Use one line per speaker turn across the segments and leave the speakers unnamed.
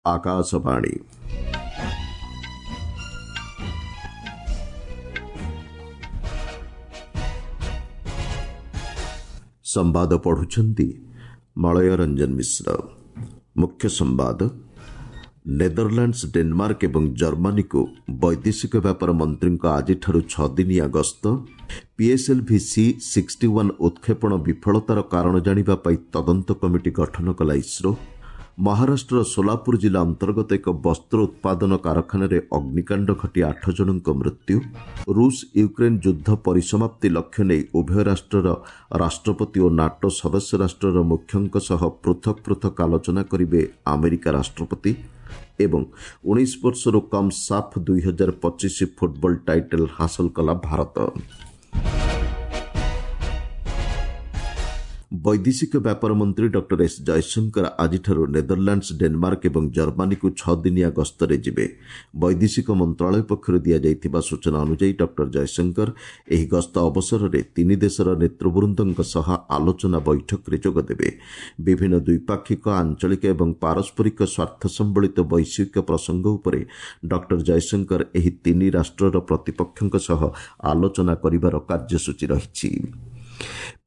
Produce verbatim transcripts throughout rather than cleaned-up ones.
ଆକାଶବାଣୀ। ସମ୍ବାଦ ପଢୁଛନ୍ତି ମଳୟ ରଞ୍ଜନ ମିଶ୍ର। ମୁଖ୍ୟ ସମ୍ବାଦ। ନେଦରଲ୍ୟାଣ୍ଡସ୍, ଡେନମାର୍କ ଏବଂ ଜର୍ମାନୀକୁ ବୈଦେଶିକ ବ୍ୟାପାର ମନ୍ତ୍ରୀଙ୍କ ଆଜିଠାରୁ ଛଅଦିନିଆ ଗସ୍ତ। ପିଏସ୍ଏଲ୍ଭି ସି ସିକ୍ସଟି ୱାନ୍ ଉତ୍କ୍ଷେପଣ ବିଫଳତାର କାରଣ ଜାଣିବା ପାଇଁ ତଦନ୍ତ କମିଟି ଗଠନ କଲା ଇସ୍ରୋ। ମହାରାଷ୍ଟ୍ରର ସୋଲାପୁର ଜିଲ୍ଲା ଅନ୍ତର୍ଗତ ଏକ ବସ୍ତ୍ର ଉତ୍ପାଦନ କାରଖାନାରେ ଅଗ୍ନିକାଣ୍ଡ ଘଟି ଆଠ ଜଣଙ୍କ ମୃତ୍ୟୁ। ରୁଷ ୟୁକ୍ରେନ୍ ଯୁଦ୍ଧ ପରିସମାପ୍ତି ଲକ୍ଷ୍ୟ ନେଇ ଉଭୟ ରାଷ୍ଟ୍ରର ରାଷ୍ଟ୍ରପତି ଓ ନାଟୋ ସଦସ୍ୟ ରାଷ୍ଟ୍ରର ମୁଖ୍ୟଙ୍କ ସହ ପୃଥକ୍ ପୃଥକ୍ ଆଲୋଚନା କରିବେ ଆମେରିକା ରାଷ୍ଟ୍ରପତି। ଏବଂ ଉଣେଇଶ ବର୍ଷରୁ କମ୍ ସାଫ୍ ଦୁଇ ହଜାର ପଚିଶ ଫୁଟବଲ ଟାଇଟଲ୍ ହାସଲ କଲା ଭାରତ। ବୈଦେଶିକ ବ୍ୟାପାର ମନ୍ତ୍ରୀ ଡକ୍ଟର ଏସ୍ ଜୟଶଙ୍କର ଆଜିଠାରୁ ନେଦରଲ୍ୟାଣ୍ଡସ୍, ଡେନମାର୍କ ଏବଂ ଜର୍ମାନୀକୁ ଛଅଦିନିଆ ଗସ୍ତରେ ଯିବେ। ବୈଦେଶିକ ମନ୍ତ୍ରଣାଳୟ ପକ୍ଷରୁ ଦିଆଯାଇଥିବା ସୂଚନା ଅନୁଯାୟୀ ଡକ୍ଟର ଜୟଶଙ୍କର ଏହି ଗସ୍ତ ଅବସରରେ ତିନି ଦେଶର ନେତୃବୃନ୍ଦଙ୍କ ସହ ଆଲୋଚନା ବୈଠକରେ ଯୋଗଦେବେ। ବିଭିନ୍ନ ଦ୍ୱିପାକ୍ଷିକ, ଆଞ୍ଚଳିକ ଏବଂ ପାରସ୍ପରିକ ସ୍ୱାର୍ଥ ସମ୍ବଳିତ ବୈଶ୍ୱିକ ପ୍ରସଙ୍ଗ ଉପରେ ଡକ୍ଟର ଜୟଶଙ୍କର ଏହି ତିନି ରାଷ୍ଟ୍ରର ପ୍ରତିପକ୍ଷଙ୍କ ସହ ଆଲୋଚନା କରିବାର କାର୍ଯ୍ୟସୂଚୀ ରହିଛି।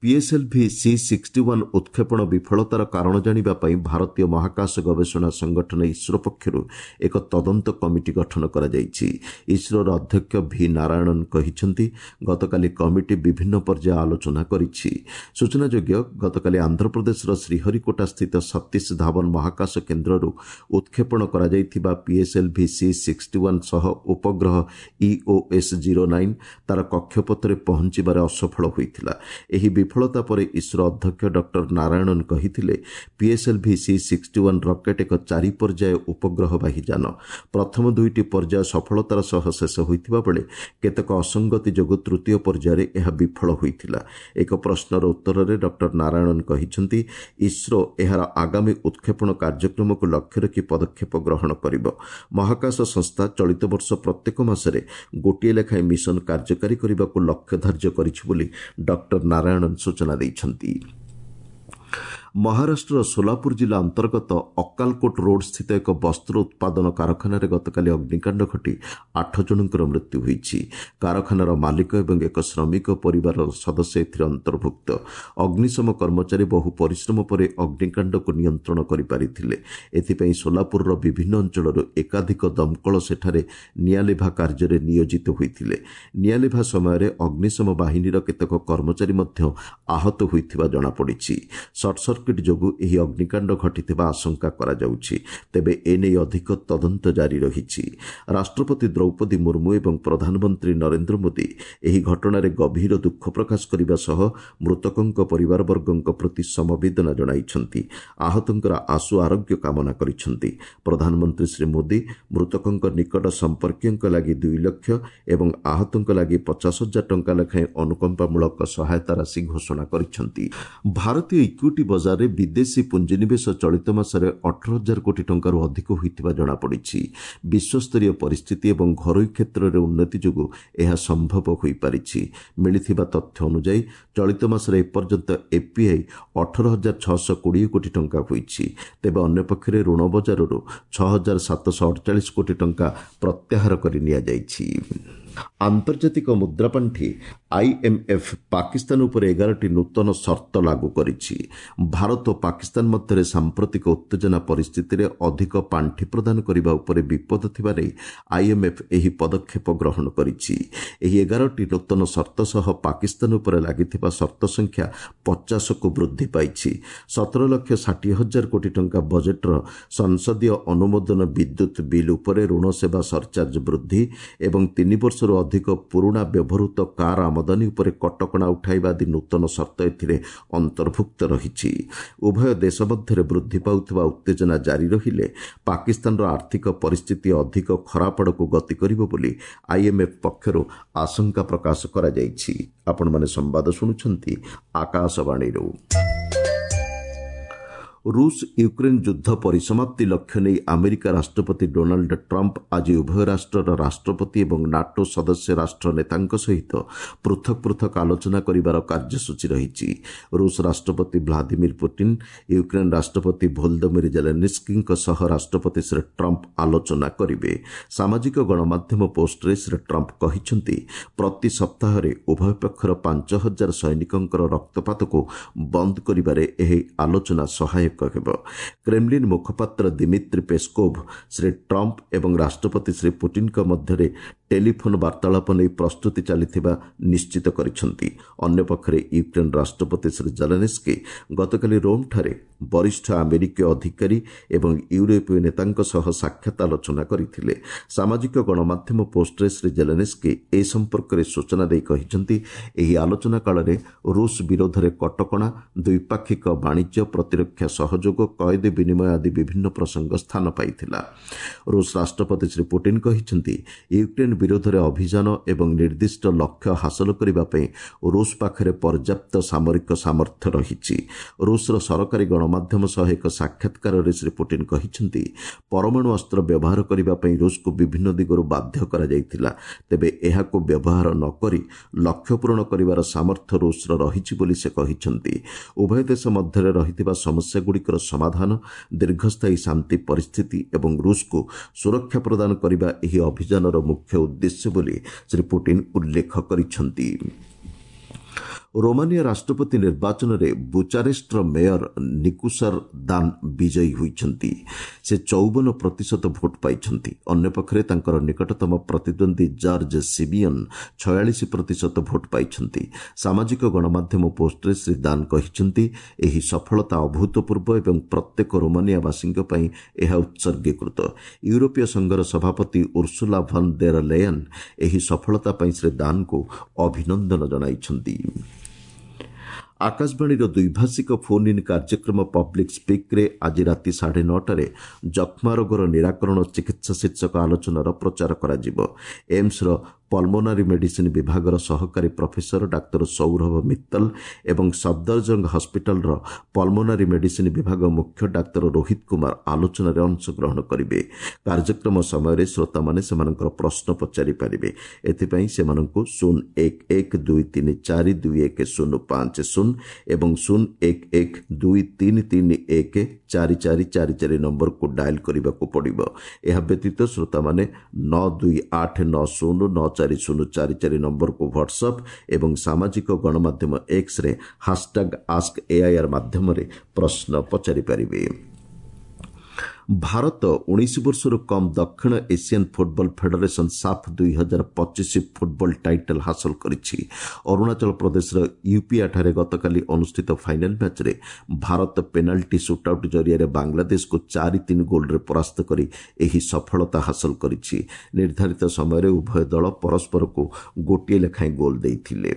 ପିଏସ୍ଏଲ୍ଭି ସି ସିକ୍ସଟି ୱାନ୍ ଉତ୍କ୍ଷେପଣ ବିଫଳତାର କାରଣ ଜାଣିବା ପାଇଁ ଭାରତୀୟ ମହାକାଶ ଗବେଷଣା ସଂଗଠନ ଇସ୍ରୋ ପକ୍ଷରୁ ଏକ ତଦନ୍ତ କମିଟି ଗଠନ କରାଯାଇଛି। ଇସ୍ରୋର ଅଧ୍ୟକ୍ଷ ଭି ନାରାୟଣନ୍ କହିଛନ୍ତି, ଗତକାଲି କମିଟି ବିଭିନ୍ନ ପର୍ଯ୍ୟାୟ ଆଲୋଚନା କରିଛି। ସୂଚନାଯୋଗ୍ୟ, ଗତକାଲି ଆନ୍ଧ୍ରପ୍ରଦେଶର ଶ୍ରୀହରିକୋଟାସ୍ଥିତ ସତୀଶ ଧାୱନ ମହାକାଶ କେନ୍ଦ୍ରରୁ ଉତ୍କ୍ଷେପଣ କରାଯାଇଥିବା ପିଏସ୍ଏଲ୍ଭି ସି ସିକ୍ସଟି ୱାନ୍ ସହ ଉପଗ୍ରହ ଇଓଏସ୍ ଜିରୋ ନାଇନ୍ ତା'ର କକ୍ଷପଥରେ ପହଞ୍ଚିବାରେ ଅସଫଳ ହୋଇଥିଲା। ଏହି ବିଫଳତା ପରେ ଇସ୍ରୋ ଅଧ୍ୟକ୍ଷ ଡକ୍ଟର ନାରାୟଣନ୍ କହିଥିଲେ, PSLV C sixty one rocket ଏକ ଚାରି ପର୍ଯ୍ୟାୟ ଉପଗ୍ରହବାହୀ ଯାନ। ପ୍ରଥମ ଦୁଇଟି ପର୍ଯ୍ୟାୟ ସଫଳତାର ସହ ଶେଷ ହୋଇଥିବା ବେଳେ କେତେକ ଅସଙ୍ଗତି ଯୋଗୁଁ ତୃତୀୟ ପର୍ଯ୍ୟାୟରେ ଏହା ବିଫଳ ହୋଇଥିଲା। ଏକ ପ୍ରଶ୍ନର ଉତ୍ତରରେ ଡକ୍ଟର ନାରାୟଣନ୍ କହିଛନ୍ତି, ଇସ୍ରୋ ଏହାର ଆଗାମୀ ଉତ୍କ୍ଷେପଣ କାର୍ଯ୍ୟକ୍ରମକୁ ଲକ୍ଷ୍ୟ ରଖି ପଦକ୍ଷେପ ଗ୍ରହଣ କରିବ। ମହାକାଶ ସଂସ୍ଥା ଚଳିତ ବର୍ଷ ପ୍ରତ୍ୟେକ ମାସରେ ଗୋଟିଏ ଲେଖାଏଁ ମିଶନ କାର୍ଯ୍ୟକାରୀ କରିବାକୁ ଲକ୍ଷ୍ୟ ଧାର୍ଯ୍ୟ କରିଛି ବୋଲି ଡକ୍ଟର ନାରାୟଣନ୍ ସୂଚନା ଦେଇଛନ୍ତି। ମହାରାଷ୍ଟ୍ରର ସୋଲାପୁର ଜିଲ୍ଲା ଅନ୍ତର୍ଗତ ଅକ୍କାଲକୋଟ ରୋଡ୍ସ୍ଥିତ ଏକ ବସ୍ତ୍ର ଉତ୍ପାଦନ କାରଖାନାରେ ଗତକାଲି ଅଗ୍ନିକାଣ୍ଡ ଘଟି ଆଠ ଜଣଙ୍କର ମୃତ୍ୟୁ ହୋଇଛି। କାରଖାନାର ମାଲିକ ଏବଂ ଏକ ଶ୍ରମିକ ପରିବାରର ସଦସ୍ୟ ଏଥିରେ ଅନ୍ତର୍ଭୁକ୍ତ। ଅଗ୍ନିଶମ କର୍ମଚାରୀ ବହୁ ପରିଶ୍ରମ ପରେ ଅଗ୍ନିକାଣ୍ଡକୁ ନିୟନ୍ତ୍ରଣ କରିପାରିଥିଲେ। ଏଥିପାଇଁ ସୋଲାପୁରର ବିଭିନ୍ନ ଅଞ୍ଚଳରୁ ଏକାଧିକ ଦମକଳ ସେଠାରେ ନିଆଁଲିଭା କାର୍ଯ୍ୟରେ ନିୟୋଜିତ ହୋଇଥିଲେ। ନିଆଁଲିଭା ସମୟରେ ଅଗ୍ନିଶମ ବାହିନୀର କେତେକ କର୍ମଚାରୀ ମଧ୍ୟ ଆହତ ହୋଇଥିବା ଜଣାପଡ଼ିଛି। ସର୍ଟ ସର୍କିଟ୍ ଯୋଗୁଁ ଏହି ଅଗ୍ନିକାଣ୍ଡ ଘଟିଥିବା ଆଶଙ୍କା କରାଯାଉଛି। ତେବେ ଏନେଇ ଅଧିକ ତଦନ୍ତ ଜାରି ରହିଛି। ରାଷ୍ଟ୍ରପତି ଦ୍ରୌପଦୀ ମୁର୍ମୁ ଏବଂ ପ୍ରଧାନମନ୍ତ୍ରୀ ନରେନ୍ଦ୍ର ମୋଦି ଏହି ଘଟଣାରେ ଗଭୀର ଦୁଃଖ ପ୍ରକାଶ କରିବା ସହ ମୃତକଙ୍କ ପରିବାରବର୍ଗଙ୍କ ପ୍ରତି ସମବେଦନା ଜଣାଇଛନ୍ତି। ଆହତଙ୍କର ଆଶୁ ଆରୋଗ୍ୟ କାମନା କରିଛନ୍ତି। ପ୍ରଧାନମନ୍ତ୍ରୀ ଶ୍ରୀ ମୋଦି ମୃତକଙ୍କ ନିକଟ ସମ୍ପର୍କୀୟଙ୍କ ଲାଗି ଦୁଇ ଲକ୍ଷ ଏବଂ ଆହତଙ୍କ ଲାଗି ପଚାଶ ହଜାର ଟଙ୍କା ଲେଖାଏଁ ଅନୁକମ୍ପାମୂଳକ ସହାୟତା ରାଶି ଘୋଷଣା କରିଛନ୍ତି। ଭାରତୀୟ ଇକ୍ୱିଟି ବଜାରରେ ବିଦେଶୀ ପୁଞ୍ଜିନିବେଶ ଚଳିତ ମାସରେ ଅଠର ହଜାର କୋଟି ଟଙ୍କାରୁ ଅଧିକ ହୋଇଥିବା ଜଣାପଡ଼ିଛି। ବିଶ୍ୱସ୍ତରୀୟ ପରିସ୍ଥିତି ଏବଂ ଘରୋଇ କ୍ଷେତ୍ରରେ ଉନ୍ନତି ଯୋଗୁଁ ଏହା ସମ୍ଭବ ହୋଇପାରିଛି। ମିଳିଥିବା ତଥ୍ୟ ଅନୁଯାୟୀ ଚଳିତ ମାସରେ ଏପର୍ଯ୍ୟନ୍ତ ଏଫ୍ପିଆଇ ଅଠର ହଜାର ଛଅଶହ କୋଡ଼ିଏ କୋଟି ଟଙ୍କା ହୋଇଛି। ତେବେ ଅନ୍ୟପକ୍ଷରେ ଋଣ ବଜାରରୁ ଛଅ ହଜାର ସାତଶହ ଅଡ଼ଚାଳିଶ କୋଟି ଟଙ୍କା ପ୍ରତ୍ୟାହାର କରି ନିଆଯାଇଛି। ଆନ୍ତର୍ଜାତିକ ମୁଦ୍ରାପାଣ୍ଠି ଆଇଏମ୍ଏଫ୍ ପାକିସ୍ତାନ ଉପରେ ଏଗାରଟି ନୂତନ ସର୍ତ୍ତ ଲାଗୁ କରିଛି। ଭାରତ ଓ ପାକିସ୍ତାନ ମଧ୍ୟରେ ସାମ୍ପ୍ରତିକ ଉତ୍ତେଜନା ପରିସ୍ଥିତିରେ ଅଧିକ ପାଣ୍ଠି ପ୍ରଦାନ କରିବା ଉପରେ ବିପଦ ଥିବା ନେଇ ଆଇଏମ୍ଏଫ୍ ଏହି ପଦକ୍ଷେପ ଗ୍ରହଣ କରିଛି। ଏହି ଏଗାରଟି ନୂତନ ସର୍ତ୍ତ ସହ ପାକିସ୍ତାନ ଉପରେ ଲାଗିଥିବା ସର୍ତ୍ତ ସଂଖ୍ୟା ପଚାଶକୁ ବୃଦ୍ଧି ପାଇଛି। ସତର ଲକ୍ଷ ଷାଠିଏ ହଜାର କୋଟି ଟଙ୍କା ବଜେଟ୍ର ସଂସଦୀୟ ଅନୁମୋଦନ, ବିଦ୍ୟୁତ୍ ବିଲ୍ ଉପରେ ଋଣ ସେବା ସରଚାର୍ଜ ବୃଦ୍ଧି ଏବଂ ତିନି ବର୍ଷରୁ ଅଧିକ ପୁରୁଣା ବ୍ୟବହୃତ କାର୍ ଆମଦାନୀ ଉପରେ କଟକଣା ଉଠାଇବା ଆଦି ନୂତନ ସର୍ତ୍ତ ଏଥିରେ ଅନ୍ତର୍ଭୁକ୍ତ ରହିଛି। ଉଭୟ ଦେଶ ମଧ୍ୟରେ ବୃଦ୍ଧି ପାଉଥିବା ଉତ୍ତେଜନା ଜାରି ରହିଲେ ପାକିସ୍ତାନର ଆର୍ଥିକ ପରିସ୍ଥିତି ଅଧିକ ଖରାପ ଆଡ଼କୁ ଗତି କରିବ ବୋଲି ଆଇଏମ୍ଏଫ୍ ପକ୍ଷରୁ ଆଶଙ୍କା ପ୍ରକାଶ କରାଯାଇଛି। ଆପଣମାନେ ସମ୍ବାଦ ଶୁଣୁଛନ୍ତି ଆକାଶବାଣୀରୁ। ରୁଷ ୟୁକ୍ରେନ୍ ଯୁଦ୍ଧ ପରିସମାପ୍ତି ଲକ୍ଷ୍ୟ ନେଇ ଆମେରିକା ରାଷ୍ଟ୍ରପତି ଡୋନାଲ୍ଡ ଟ୍ରମ୍ପ ଆଜି ଉଭୟ ରାଷ୍ଟ୍ରର ରାଷ୍ଟ୍ରପତି ଏବଂ ନାଟୋ ସଦସ୍ୟ ରାଷ୍ଟ୍ର ନେତାଙ୍କ ସହିତ ପୃଥକ ପୃଥକ ଆଲୋଚନା କରିବାର କାର୍ଯ୍ୟସୂଚୀ ରହିଛି। ରୁଷ ରାଷ୍ଟ୍ରପତି ଭ୍ଲାଦିମିର ପୁଟିନ୍, ୟୁକ୍ରେନ୍ ରାଷ୍ଟ୍ରପତି ଭୋଲଦମିର ଜେଲେନିସ୍କିଙ୍କ ସହ ରାଷ୍ଟ୍ରପତି ଶ୍ରୀ ଟ୍ରମ୍ପ ଆଲୋଚନା କରିବେ। ସାମାଜିକ ଗଣମାଧ୍ୟମ ପୋଷ୍ଟରେ ଶ୍ରୀ ଟ୍ରମ୍ପ କହିଛନ୍ତି, ପ୍ରତି ସପ୍ତାହରେ ଉଭୟ ପକ୍ଷର ପାଞ୍ଚ ହଜାର ସୈନିକଙ୍କର ରକ୍ତପାତକୁ ବନ୍ଦ କରିବାରେ ଏହି ଆଲୋଚନା ସହାୟକ ହେବ। କ୍ରେମଲିନ୍ ମୁଖପାତ୍ର ଦିମିତ୍ରି ପେସ୍କୋଭ୍ ଶ୍ରୀ ଟ୍ରମ୍ପ ଏବଂ ରାଷ୍ଟ୍ରପତି ଶ୍ରୀ ପୁଟିନ୍ଙ୍କ ମଧ୍ୟରେ ଟେଲିଫୋନ୍ ବାର୍ତ୍ତାଳାପ ନେଇ ପ୍ରସ୍ତୁତି ଚାଲିଥିବା ନିଶ୍ଚିତ କରିଛନ୍ତି। ଅନ୍ୟପକ୍ଷରେ ୟୁକ୍ରେନ୍ ରାଷ୍ଟ୍ରପତି ଶ୍ରୀ ଜେଲେନିସ୍କି ଗତକାଲି ରୋମ୍ଠାରେ ବରିଷ୍ଠ ଆମେରିକୀୟ ଅଧିକାରୀ ଏବଂ ୟୁରୋପୀୟ ନେତାଙ୍କ ସହ ସାକ୍ଷାତ ଆଲୋଚନା କରିଥିଲେ। ସାମାଜିକ ଗଣମାଧ୍ୟମ ପୋଷ୍ଟରେ ଶ୍ରୀ ଜେଲେନିସ୍କି ଏ ସମ୍ପର୍କରେ ସୂଚନା ଦେଇ କହିଛନ୍ତି, ଏହି ଆଲୋଚନା କାଳରେ ରୁଷ ବିରୋଧରେ କଟକଣା, ଦ୍ୱିପାକ୍ଷିକ ବାଣିଜ୍ୟ, ପ୍ରତିରକ୍ଷା ସହଯୋଗ, କଏଦୀ ବିନିମୟ ଆଦି ବିଭିନ୍ନ ପ୍ରସଙ୍ଗ ସ୍ଥାନ ପାଇଥିଲା। ରୁଷ ରାଷ୍ଟ୍ରପତି ଶ୍ରୀ ପୁଟିନ୍ କହିଛନ୍ତି, ୟୁକ୍ରେନ୍ ବିରୋଧରେ ଅଭିଯାନ ଏବଂ ନିର୍ଦ୍ଦିଷ୍ଟ ଲକ୍ଷ୍ୟ ହାସଲ କରିବା ପାଇଁ ରୁଷ ପାଖରେ ପର୍ଯ୍ୟାପ୍ତ ସାମରିକ ସାମର୍ଥ୍ୟ ରହିଛି। ରୁଷର ସରକାରୀ ଗଣମାଧ୍ୟମ ସହ ଏକ ସାକ୍ଷାତକାରରେ ଶ୍ରୀ ପୁଟିନ୍ କହିଛନ୍ତି, ପରମାଣୁ ଅସ୍ତ୍ର ବ୍ୟବହାର କରିବା ପାଇଁ ରୁଷକୁ ବିଭିନ୍ନ ଦିଗରୁ ବାଧ୍ୟ କରାଯାଇଥିଲା। ତେବେ ଏହାକୁ ବ୍ୟବହାର ନ କରି ଲକ୍ଷ୍ୟ ପୂରଣ କରିବାର ସାମର୍ଥ୍ୟ ରୁଷର ରହିଛି ବୋଲି ସେ କହିଛନ୍ତି। ଉଭୟ ଦେଶ ମଧ୍ୟରେ ରହିଥିବା ସମସ୍ୟାଗୁଡ଼ିକର ସମାଧାନ, ଦୀର୍ଘସ୍ଥାୟୀ ଶାନ୍ତି ପରିସ୍ଥିତି ଏବଂ ରୁଷକୁ ସୁରକ୍ଷା ପ୍ରଦାନ କରିବା ଏହି ଅଭିଯାନର ମୁଖ୍ୟ ଉଦ୍ଦେଶ୍ୟ ବୋଲି ଶ୍ରୀ ପୁଟିନ୍ ଉଲ୍ଲେଖ କରିଛନ୍ତି। ରୋମାନିଆ ରାଷ୍ଟ୍ରପତି ନିର୍ବାଚନରେ ବୁଚାରେଷ୍ଟର ମେୟର ନିକୁସର ଦାନ ବିଜୟୀ ହୋଇଛନ୍ତି। ସେ ଚଉବନ ପ୍ରତିଶତ ଭୋଟ୍ ପାଇଛନ୍ତି। ଅନ୍ୟପକ୍ଷରେ ତାଙ୍କର ନିକଟତମ ପ୍ରତିଦ୍ୱନ୍ଦ୍ୱୀ ଜର୍ଜ ସିବିୟନ୍ ଛୟାଳିଶ ପ୍ରତିଶତ ଭୋଟ୍ ପାଇଛନ୍ତି। ସାମାଜିକ ଗଣମାଧ୍ୟମ ପୋଷ୍ଟରେ ଶ୍ରୀ ଦାନ କହିଛନ୍ତି, ଏହି ସଫଳତା ଅଭୂତପୂର୍ବ ଏବଂ ପ୍ରତ୍ୟେକ ରୋମାନିଆବାସୀଙ୍କ ପାଇଁ ଏହା ଉତ୍ସର୍ଗୀକୃତ। ୟୁରୋପୀୟ ସଂଘର ସଭାପତି ଉର୍ସୁଲା ଭନ୍ ଦେର ଲେୟନ୍ ଏହି ସଫଳତା ପାଇଁ ଶ୍ରୀ ଦାନଙ୍କୁ ଅଭିନନ୍ଦନ ଜଣାଇଛନ୍ତି। ଆକାଶବାଣୀର ଦ୍ୱିଭାଷିକ ଫୋନ୍ ଇନ୍ କାର୍ଯ୍ୟକ୍ରମ ପବ୍ଲିକ୍ ସ୍ପିକ୍ରେ ଆଜି ରାତି ସାଢ଼େ ନଅଟାରେ ଯକ୍ଷ୍ମା ରୋଗର ନିରାକରଣ ଚିକିତ୍ସା ଶୀର୍ଷକ ଆଲୋଚନାର ପ୍ରଚାର କରାଯିବ। ଏମ୍ସର ପଲମୋନାରୀ ମେଡିସିନ୍ ବିଭାଗର ସହକାରୀ ପ୍ରଫେସର ଡାକ୍ତର ସୌରଭ ମିତ୍ତଲ ଏବଂ ସଫଦରଜଙ୍ଗ ହସ୍ପିଟାଲର ପଲମୋନାରୀ ମେଡିସିନ୍ ବିଭାଗ ମୁଖ୍ୟ ଡାକ୍ତର ରୋହିତ କୁମାର ଆଲୋଚନାରେ ଅଂଶଗ୍ରହଣ କରିବେ। କାର୍ଯ୍ୟକ୍ରମ ସମୟରେ ଶ୍ରୋତାମାନେ ସେମାନଙ୍କର ପ୍ରଶ୍ନ ପଚାରିପାରିବେ। ଏଥିପାଇଁ ସେମାନଙ୍କୁ ଶୂନ ଏକ ଏକ ଦୁଇ ତିନି ଚାରି ଦୁଇ ଏକ ଶୂନ ପାଞ୍ଚ ଶୂନ ଏବଂ ଶୂନ ଏକ ଏକ ଦୁଇ ତିନି ତିନି ଏକ ଚାରି ଚାରି ଚାରି ଚାରି ନମ୍ବରକୁ ଡାଏଲ୍ କରିବାକୁ ପଡ଼ିବ। ଏହା ବ୍ୟତୀତ ଶ୍ରୋତାମାନେ ନଅ ଦୁଇ ଆଠ ନଅ ଶୂନ ନଅ ଚାରି ଶୂନ ଚାରି ଚାରି ନମ୍ବରକୁ ହ୍ୱାଟ୍ସଆପ୍ ଏବଂ ସାମାଜିକ ଗଣମାଧ୍ୟମ ଏକ୍ସରେ ହାସଟ୍ୟାଗ୍ ଆସ୍କ ଏଆଇଆର୍ ମାଧ୍ୟମରେ ପ୍ରଶ୍ନ ପଚାରିପାରିବେ। ଭାରତ ଉଣେଇଶ ବର୍ଷରୁ କମ୍ ଦକ୍ଷିଣ ଏସିଆନ୍ ଫୁଟବଲ ଫେଡେରେସନ୍ ସାଫ୍ ଦୁଇ ହଜାର ପଚିଶ ଫୁଟବଲ ଟାଇଟଲ୍ ହାସଲ କରିଛି। ଅରୁଣାଚଳ ପ୍ରଦେଶର ୟୁପିଆଠାରେ ଗତକାଲି ଅନୁଷ୍ଠିତ ଫାଇନାଲ୍ ମ୍ୟାଚ୍ରେ ଭାରତ ପେନାଲ୍ଟି ସୁଟ୍ଆଉଟ୍ ଜରିଆରେ ବାଂଲାଦେଶକୁ ଚାରି ତିନି ଗୋଲ୍ରେ ପରାସ୍ତ କରି ଏହି ସଫଳତା ହାସଲ କରିଛି। ନିର୍ଦ୍ଧାରିତ ସମୟରେ ଉଭୟ ଦଳ ପରସ୍ପରକୁ ଗୋଟିଏ ଲେଖାଏଁ ଗୋଲ୍ ଦେଇଥିଲେ।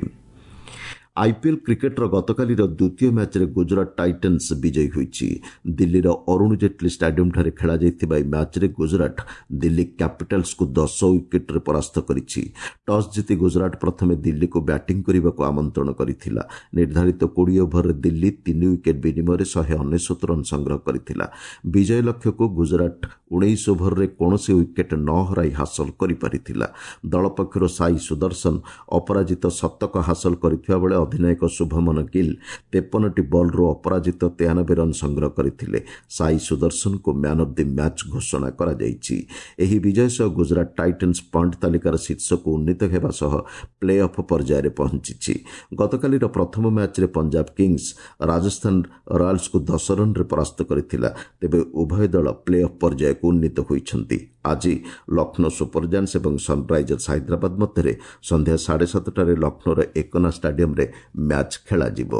ଆଇପିଏଲ୍ କ୍ରିକେଟ୍ର ଗତକାଲିର ଦ୍ୱିତୀୟ ମ୍ୟାଚ୍ରେ ଗୁଜରାଟ ଟାଇଟନ୍ସ ବିଜୟୀ ହୋଇଛି। ଦିଲ୍ଲୀର ଅରୁଣ ଜେଟ୍ଲୀ ଷ୍ଟାଡିୟମ୍ଠାରେ ଖେଳାଯାଇଥିବା ଏହି ମ୍ୟାଚ୍ରେ ଗୁଜରାଟ ଦିଲ୍ଲୀ କ୍ୟାପିଟାଲ୍ସକୁ ଦଶ ୱିକେଟ୍ରେ ପରାସ୍ତ କରିଛି। ଟସ୍ ଜିତି ଗୁଜରାଟ ପ୍ରଥମେ ଦିଲ୍ଲୀକୁ ବ୍ୟାଟିଂ କରିବାକୁ ଆମନ୍ତ୍ରଣ କରିଥିଲା। ନିର୍ଦ୍ଧାରିତ କୋଡ଼ିଏ ଓଭରରେ ଦିଲ୍ଲୀ ତିନି ୱିକେଟ୍ ବିନିମୟରେ ଶହେ ଅନେଶ୍ୱତ ରନ୍ ସଂଗ୍ରହ କରିଥିଲା। ବିଜୟ ଲକ୍ଷ୍ୟକୁ ଗୁଜରାଟ ଉଣେଇଶ ଓଭରରେ କୌଣସି ୱିକେଟ୍ ନ ହରାଇ ହାସଲ କରିପାରିଥିଲା। ଦଳ ପକ୍ଷରୁ ସାଇ ସୁଦର୍ଶନ ଅପରାଜିତ ଶତକ ହାସଲ କରିଥିବା ବେଳେ ଅଧିନାୟକ ଶୁଭମନ ଗିଲ୍ ତେପନଟି ବଲ୍ରୁ ଅପରାଜିତ ତେୟାନବେ ରନ୍ ସଂଗ୍ରହ କରିଥିଲେ। ସାଇ ସୁଦର୍ଶନଙ୍କୁ ମ୍ୟାନ୍ ଅଫ୍ the match ଘୋଷଣା କରାଯାଇଛି। ଏହି ବିଜୟ ସହ ଗୁଜରାଟ ଟାଇଟନ୍ସ ପଏଣ୍ଟ ତାଲିକାର ଶୀର୍ଷକୁ ଉନ୍ନୀତ ହେବା ସହ ପ୍ଲେ ଅଫ୍ ପର୍ଯ୍ୟାୟରେ ପହଞ୍ଚିଛି। ଗତକାଲିର ପ୍ରଥମ ମ୍ୟାଚ୍ରେ ପଞ୍ଜାବ କିଙ୍ଗସ୍ ରାଜସ୍ଥାନ ରୟାଲ୍ସକୁ ଦଶ ରନ୍ରେ ପରାସ୍ତ କରିଥିଲା। ତେବେ ଉଭୟ ଦଳ ପ୍ଲେ ଅଫ୍ ପର୍ଯ୍ୟାୟକୁ ଉନ୍ନୀତ ହୋଇଛନ୍ତି। ଆଜି ଲକ୍ଷ୍ନୌ ସୁପର ଜାୟାଣ୍ଟସ୍ ଏବଂ ସନ୍ରାଇଜର୍ସ ହାଇଦ୍ରାବାଦ ମଧ୍ୟରେ ସନ୍ଧ୍ୟା ସାଢ଼େ ସାତଟାରେ ଲକ୍ଷ୍ନୌର ଏକନା ଷ୍ଟାଡିୟମ୍ରେ ମ୍ୟାଚ୍ ଖେଳାଯିବ।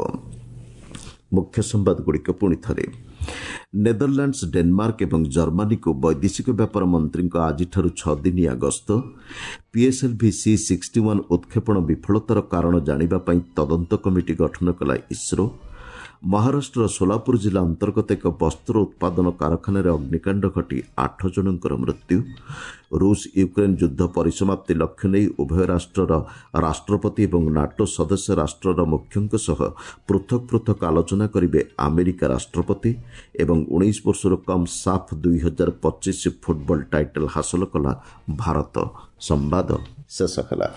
ମୁଖ୍ୟ ସମ୍ବାଦଗୁଡ଼ିକ ପୁଣି ଥରେ। ନେଦରଲ୍ୟାଣ୍ଡସ୍, ଡେନମାର୍କ ଏବଂ ଜର୍ମାନୀକୁ ବୈଦେଶିକ ବ୍ୟାପାର ମନ୍ତ୍ରୀଙ୍କ ଆଜିଠାରୁ ଛଅ ଦିନିଆ ଗସ୍ତ। ପିଏସ୍ଏଲ୍ଭି ସି ସିକ୍ସଟି ୱାନ୍ ଉତ୍କ୍ଷେପଣ ବିଫଳତାର କାରଣ ଜାଣିବା ପାଇଁ ତଦନ୍ତ କମିଟି ଗଠନ କଲା ଇସ୍ରୋ। ମହାରାଷ୍ଟ୍ରର ସୋଲାପୁର ଜିଲ୍ଲା ଅନ୍ତର୍ଗତ ଏକ ବସ୍ତ୍ର ଉତ୍ପାଦନ କାରଖାନାରେ ଅଗ୍ନିକାଣ୍ଡ ଘଟି ଆଠ ଜଣଙ୍କର ମୃତ୍ୟୁ। ରୁଷ ୟୁକ୍ରେନ୍ ଯୁଦ୍ଧ ପରିସମାପ୍ତି ଲକ୍ଷ୍ୟ ନେଇ ଉଭୟ ରାଷ୍ଟ୍ରର ରାଷ୍ଟ୍ରପତି ଏବଂ ନାଟୋ ସଦସ୍ୟ ରାଷ୍ଟ୍ରର ମୁଖ୍ୟଙ୍କ ସହ ପୃଥକ ପୃଥକ ଆଲୋଚନା କରିବେ ଆମେରିକା ରାଷ୍ଟ୍ରପତି। ଏବଂ ଉଣେଇଶ ବର୍ଷରୁ କମ୍ ସାଫ୍ ଦୁଇ ହଜାର ପଚିଶ ଫୁଟବଲ ଟାଇଟଲ୍ ହାସଲ କଲା ଭାରତ। ସମ୍ବାଦ ଶେଷ ହେଲା।